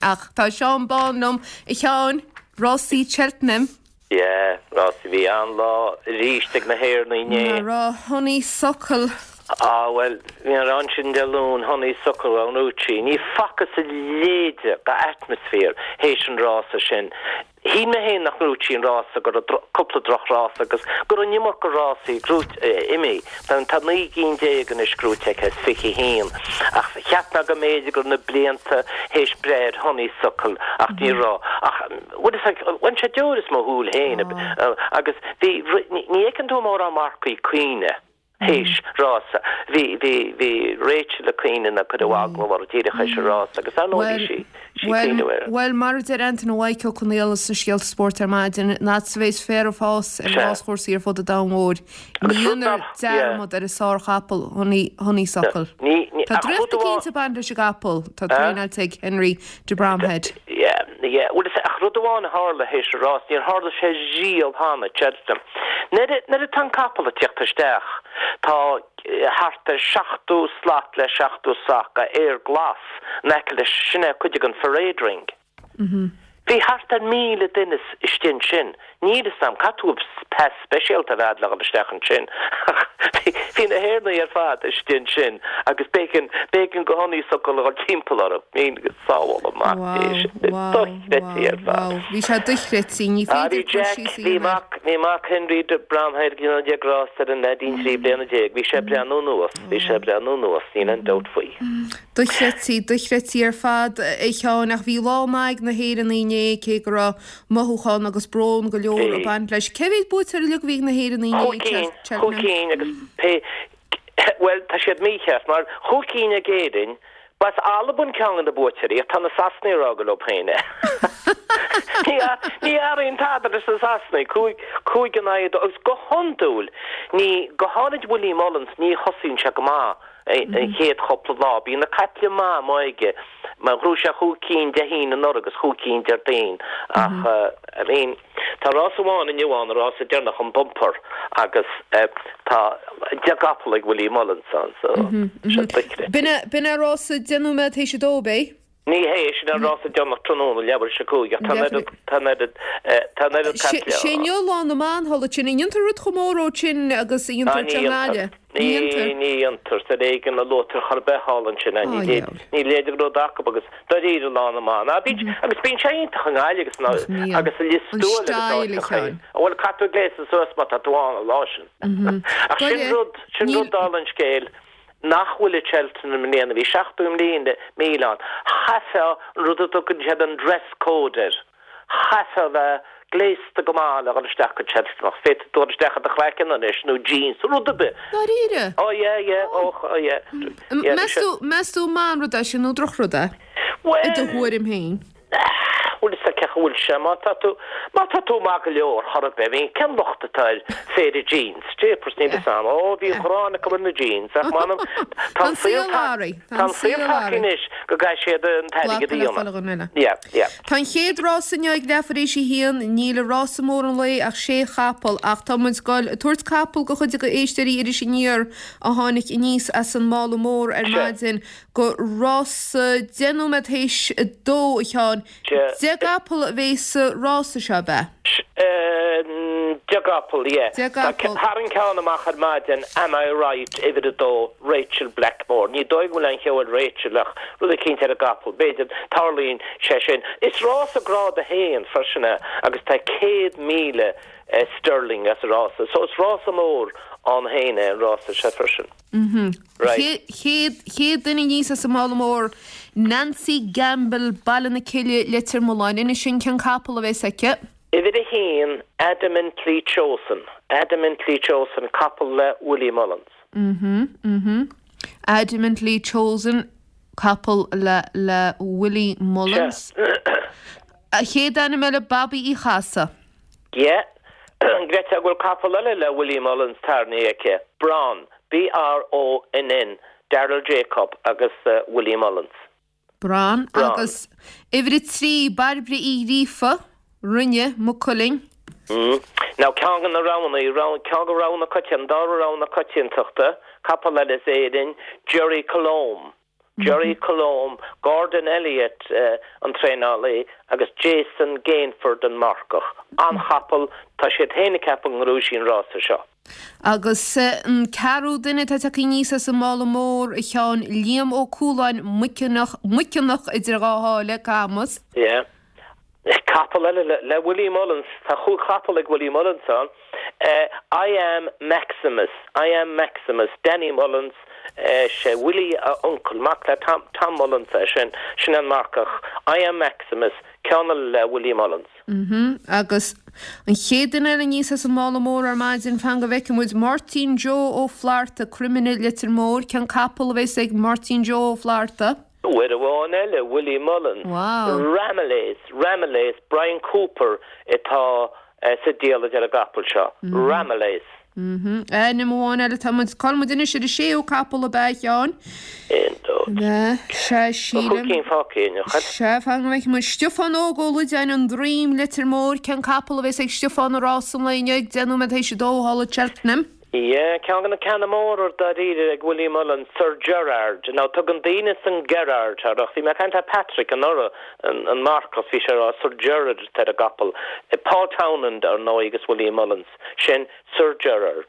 Ach tá Seán Bán liom, a Sheáin, rásaí Cheltenham. Yeah, rásaí, bhí an-lá arís ag na hÉireannaigh inné. Mar raibh Honeysuckle. Ah bhuel, bhí an rang sin Dé Luain, Honeysuckle, Ranucci. Ní facthas a leithéide d'atmaisféar théis an rása sin. Shíl mé féin nach ngnóthódh sí an rása, go raibh cúpla drochrása agus go raibh an iomarca rásaí gnóite imithe. Tá 19 gcinn anois gnóite aici as 21. Ach cheap mé go mb'fhéidir go raibh na blianta théis breith ar Honeysuckle ach ní raibh. Ach bhuel is like bhain sé deoir as mo shúil féin agus bhí, ní fheiceann tú mórán marcaí ag caoineadh. théis rása. Bhí, bhí, bhí Rachel ag caoineadh nuair a cuireadh agallamh uirthi díreach théis an rása agus ar ndóigh bhí sí, sí ag caoineadh air. Bhuel, mar a deir Antaine Mhaidhc Ó Conaola sna Scéalta Spóirt ar maidin, an fhad is a bheas féar ag fás ar Sea. ráschúrsaí ar fud an domhain mhóir, ní Agus rud dhéanfar nach, yeah. dearmad ar an sárchapall Honey, Honeysuckle. Ní, ní, Tá ach draíocht rud amháin, eicínt ag baint leis an gcapall, tá eh? traenáilte ag Henry de Bromhead. Yeah, yeah. Bhuel, is ach rud amháin a tharla théis an rás, níor tharla sé riamh cheana, Cheltenham. Nuair a, nuair atá an capall ag tíocht isteach, tá thart ar 70 slat le 70 sac de fhéar glas in aice leis, sin é cuid den pharade ring. Bhí thart ar 1,000 duine istigh ansin. Níl fhios a'm, caithfidh tú pas speisialta a bheith a'd le dhul isteach ansin. Ach bhí na hÉireannaigh ar fad istigh ansin agus b'éigean, b'éigean do Honeysuckle a dhul timpeall orthu. Mín go sábhála mac Dé sin. Wow, wow, Dochreidte ar wow, fad. wow. Bhí sé dochreidte, ní Ah, féidir bhí cur Jack, síos a bhí dhéanamh air. mac, bhí mac Henry de Bromhead ag déanamh rása ar an leaidín 13 bliana. Bhí sé ag breathnú anuas, bhí sé ag breathnú anuas, níl aon dabht faoi. Dochreidte, dochreidte ar fad, a Sheáin, ach bhí lá maith ag na hÉireannaigh inné, cé go raibh mothúchán agus brón go leor ag Bhí. baint leis. Cé mhéad buaiteoir uilig a bhí ag na hÉireannaigh inné, Chúig cinn, chúig Cheltenham? cinn agus pé, bhuel, tá siad mícheart, mar chúig cinn ag Éirinn, b'as Albain ceann de na buaiteoirí ach tá na Sasanaigh ag rá gur leo féin é. Ní, ní athraíonn tada leis na Sasanaigh, cúig, cúig in aghaidh a dó, agus go hiondúil, ní, go háirid Willie Mullins, ní thosaíonn sé go maith. an chéad chúpla lá. Bíonn na caiple maith amuigh aige mar ghnóthaigh sé chúig cinn Dé hAoine anuraidh agus chúig cinn Déardaoin ach I mean tá rás amháin inniu ann, an rása deireanach, an bumper agus tá 10 gcapall ag Willie Mullins ann so sé dochreidte. B'in é rása 10 nóiméad théis a dó, ab é? Ní hé, sin an rása deireanach tráthnóna, leathuair théis a cúig, ach tá an oiread, tá an oiread, tá an oiread caiple Sé inniu lá na mban thall ansin. An ndéantar rud chomh mór dhó sin agus a Ah, dhéantar ní anseo i dhéantar. nGaillimh? Ní dhéantar? Ní, ní dhéantar. Is ar éigean a luaitear chor ar bith thall ansin é. Ní Ah, léir, dheabhail. ní léir go raibh rud acu agus dáiríre lá na mban. Ah, bíonn, agus bíonn sé iontach i nGaillimh agus Nach mbíonn. agus i Lios An Tuathail agus style, a áiteacha. Sheáin. Bhuel, caithfidh tú gléasadh suas má tá tú ann an lá sin. Ach sin Dáiríre, rud, sin níl. rud dála an scéil. nach bhfuil i Cheltenham i mbliana, bhí 70,000 míle ann. Chaithfeá an rud a dtugann siad an dress code air, chaithfeá a bheith gléasta go maith le dhul isteach go Cheltenham ach féadfaidh tú dul isteach i do chraiceann anois nó jeans, rud ar bith. Dáiríre? Oh yeah, yeah, oh, oh yeah. Yeah, Meas tú, meas tú an maith an rud é sin nó drochrud é? Well, I do thuairim féin. Bhuel, is cén chaoi a bhfuil sé, má tá tú, má tá tú maith go leor, chor ar bith, I mean, cén locht atá ar phéire jeans? Jeepers, níl fhios a'm. Ó, bhí an ghráin acu ar na jeans, ach m'anam, tá an saol tagtha, tá an saol tagtha anois go gcaithfidh siad an t-airgead a dhéanamh. Yeah, yeah. Tá an chéad rás inniu ag leathuair théis a haon, níl i rása mór an lae ach sé chapall, ach tá muid ag goil ag tabhairt capall do chuid de éisteoirí Iris Aniar a tháinig aníos as an mála mór ar maidin. Go rása 10 nóiméad théis 2, a Sheáin. 10 gcapall a bheas sa rása seo, ab ea? 10 gcapall, yeah. 10 gcapall. Tharraing ceann amach ar maidin, Am I Right, uimhir 2, Rachel Blackmore. Ní dóigh go bhfuil aon cheo ar Rachel ach rud eicínt ar an gcapall. B'fhéidir, tarlaíonn sé sin. Is rása grád 1 freisin é agus tá 100,000 sterling as an rása. So is rása mór ann féin é an rása seo freisin. Right. Chéad, chéad duine aníos as an mála mór, Nancy Gamble, Baile na Cille, Leitir Mealláin. Inis dúinn cén capall a bheas aici. Uimhir 1, Adamantly Chosen, Adamantly Chosen, capall le Willie Mullins. Mhm, mhm. Adamantly Chosen, capall le, le Willie Mullins. Sea. A chéad ainm eile, Babaí Uí Chasaidh. Yeah. An gcreidfeá go bhfuil capall eile le Willie Mullins tarraingthe aici? Bronn, B-R-O-N-N, Daryl Jacob agus Willie Mullins. Bronn. Bronn. Agus uimhir 3, Bairbre Uí Ghríofa, Rinne, Maigh Cuilinn. Mm. Now ceann de na roghanna, ceann de rogha na coitianta, an dara rogha na coitiantachta, capall eile as Éirinn, Gerri Colombe. Gerri Colombe, Gordon Elliott an traenálaí agus Jason Gainford an marcach. An-chapall, tá siad féin ag ceapadh go ngnóthóidh sí an rása seo. Agus an ceathrú duine atá tagtha aníos as an mála mór, a Sheáin, Liam Ó Cualáin, Muiceanach, Muiceanach idir dhá sháile, Camas. Yeah. Capall eile le Willie Mullins, tá chúig chapall ag Willie Mullins ann, I Am Maximus, I Am Maximus, Danny Mullins, sé Willie a uncail, mac le Tom, Tom Mullins é sin, sin an marcach, I Am Maximus, ceann eile le Willie Mullins. Mhm, agus an chéad duine eile aníos as an mála mór ar maidin, fan go bhfeicfidh muid, Máirtín Joe Ó Flatharta, Croimine, Leitir Móir, cén capall a bheas ag Máirtín Joe Ó Flatharta? Uair amháin eile, Willie Mullins, Ramillies, Ramillies, Bryan Cooper atá sa diallait ar an gcapall seo, Ramillies. Ainm amháin eile, tá muid, cá bhfuil muid anois ar an séú capall ab ea, a Sheáin? Aon, dó, Sea, sílim. Tá chúig cinn fágtha againn, nach bhfuil? Sea, fan go bhfeicfidh muid. Stiofán Óg Ó Loideáin, An Droim, Leitir Móir, cén capall a bheas ag Stiofán i rás an lae inniu ag 10 nóiméad théis a dó thall at Cheltenham? Yeah, ceann de na ceanna móra dáiríre ag Willie Mullins, Sir Gerard. Now tugann daoine san Gerard air ach bhí mé ag caint le Patrick anuraidh, an marcach, bhí sé ag rá Sir Gerard atá ar an gcapall. Paul Townend, ar ndóigh, agus Willie Mullins. Sin Sir Gerard.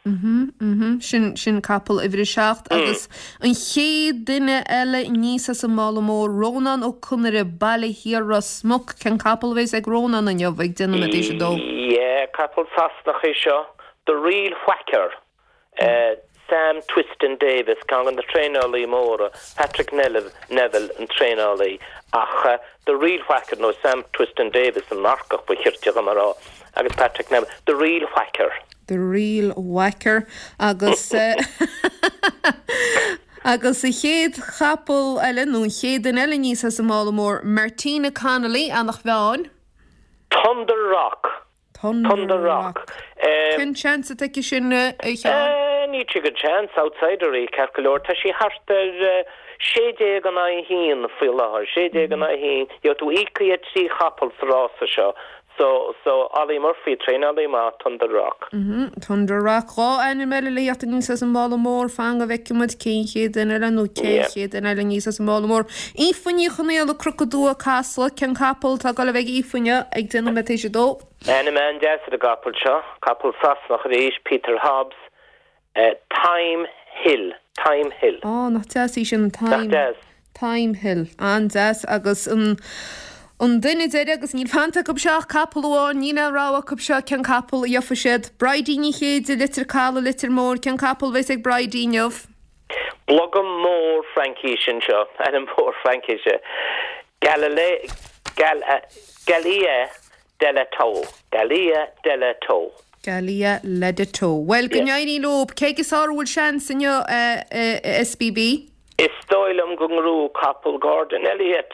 Mhm, mhm, sin, sin capall uimhir a seacht agus an chéad duine eile aníos as an mála mór, Rónán Ó Conaire, Baile Thiar Ros Muc. Cén capall a bheas ag Rónán inniu ag 10 nóiméad théis a dó? Yeah, capall Sasanach é seo. The Real Whacker, Sam Twiston Davies, ceann de na traenálaí móra, Patrick Neville an traenálaí, ach The Real Whacker, nó Sam Twiston Davies an marcach ba chirte dhom a rá, agus Patrick Neville, The Real Whacker. The Real Whacker agus agus an chéad chapall eile, nó an chéad duine eile aníos as an mála mór, Martina Connolly, Eanach Mheáin. Thunder Rock. Thunder Rock. Cén seans atá aici sin, a Sheáin? Níl sí gan seans, outsider í, ceart go leor. Tá sí thart ar 16 in aghaidh 1 faoi láthair, 16 in aghaidh 1. Gheobhaidh tú íoctha ar thrí chapall sa rása seo. So, so, Ollie Murphy, traenálaí maith, Thunder Rock. Thunder Rock. Dhá ainm eile le theacht aníos as an mála mór, fan go bhfeicfidh muid cén chéad duine eile nó cén chéad duine eile aníos as an mála mór. Aoife Ní Chonaola, Cnoc an Dua, Casla, cén capall atá ag dul a bheith ag Aoife inniu ag 10 nóiméad théis a dó? Ainm an-deas ar an gcapall seo, capall Sasanach arís, Peter Hobbs, Thyme Hill, Thyme Hill. Á, nach deas í sin, Nach Thyme, deas. Thyme Hill. An-deas agus an, an duine deiridh agus níl fanta acu seo ach capall amháin, níl aon rogha acu seo cén capall a gheobhaidh siad. Bridie Ní Chéide, Leitir Caladh, Leitir Móir, cén capall a bheas ag Bridie inniu? Blogam mór Fraincise anseo, ainm mór Fraincise, Galilei, Gal, Galia de la Tour, Galia de la Tour. Galia de la Tour. Bhuel, go n-éirí leo. Cé aige is fearr a bhfuil seans inniu, a SBB? Is dóigh liom go ngnóthóidh capall Gordon Elliott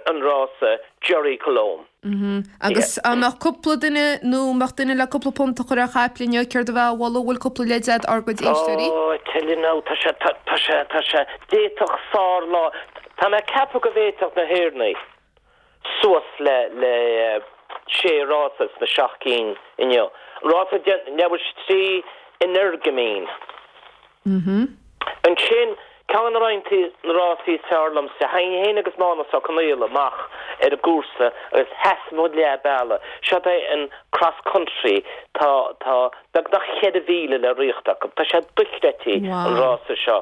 an rása, Gerri Colombe. Agus dá mbeadh cúpla duine nó mbeadh duine le cúpla punt a chur ar chaiple inniu, céard a bheifeá a mholadh? Bhfuil cúpla leid a'd ár gcuid éisteoirí? Oh, I tell you now, tá sé, tá, tá sé, tá sé, d'fhéadfadh sár-lá, tá mé ag ceapadh go bhféadfadh na hÉireannaigh suas le, le sé rása sna seacht gcinn inniu. Rása leibhéal 3 Energumene. Ansin, ceann de na rásaí is fearr liomsa, théinn féin agus Mánus Ó Conaola amach ar an gcúrsa agus sheas muid leath bealaigh. Seo é an Cross Country, tá, tá beagnach 4,000 le ritheacht acu. Tá sé dochreidte an rása seo.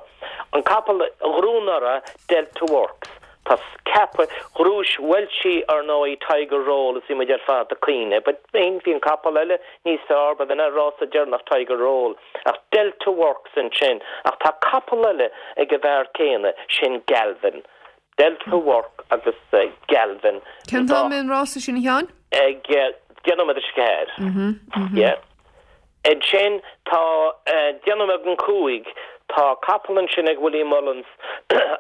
An capall a ghnóthaigh anuraidh, Delta Works. Tá ceaptha, ghnóthaigh Welshie ar ndóigh Tiger Roll is bhí muid ar fad ag caoineadh but bhí an capall eile níos fearr, ba bh'in an rása deireanach Tiger Roll ach Delta Works ansin ach tá capall eile ag an bhfear céanna, sin Galvin. Delta Work agus Galvin. Cén t-am é an rása sin a Sheáin? Ag 10 nóiméad tar éis a 4. Yeah. Ansin tá 10 nóiméad don 5, tá capall ansin ag Willie Mullins,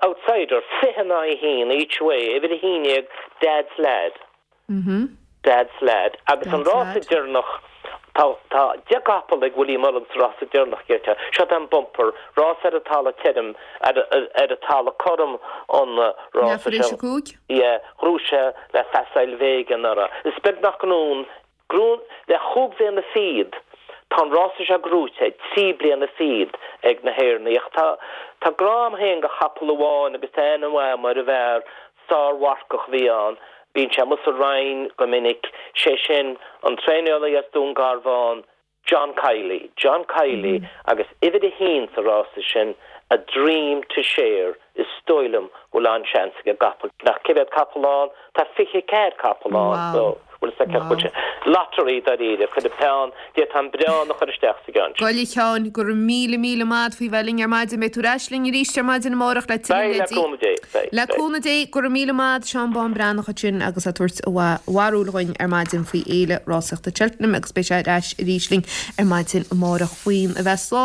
outsider, 20 in aghaidh 1 each way, uimhir 11, Dad's Lad. Dad's Lad. Agus an rása deireanach, tá tá 10 gcapall ag Willie Mullins sa rása deireanach, deirtear. Seo é an bumper, rása ar an talamh tirim, ar ar an talamh cothrom an rása seo. Yeah, ghnóthaigh sé le Facile Vega anuraidh. Is beag nach ngnóthaíonn Gnóthaíonn le chúig bhliana fichead. Tá an rása seo gnóite 3 bliana fichead ag na hÉireannaigh ach tá tá grá a'm féin go chapall amháin agus tá aithne mhaith a'm ar an bhfear, sár-mharcach a bhí ann, bíonn sé amuigh sa Rinn go minic, sé sin an traenálaí as Dún Garbhán, John Kiely, John Kiely agus uimhir a haon sa rása sin, A Dream to Share, is dóigh liom go bhfuil an-seans ag an gcapall ach cé mhéad capall ann? Tá 24 capall ann so bhfuil fhios agat bhfuil sé lottery dáiríre, cuir an peann, d'fhéadfá an breán a chur isteach sa gceann sin. Bhuel a Sheáin, go raibh míle míle maith a'd faoi bheith linn ar maidin, beidh tú ar ais linn arís ar maidin amárach le tuilleadh Beidh, le cúnamh Dé, beidh, Le cúnamh Dé, go raibh míle maith a'd, Seán Bán Breathnach ansin agus é ag tabhairt a bharúil dhuinn ar maidin faoi Fhéile Rásaíochta Cheltenham agus beidh sé ar ais arís linn ar maidin amárach faoin a bheith slán.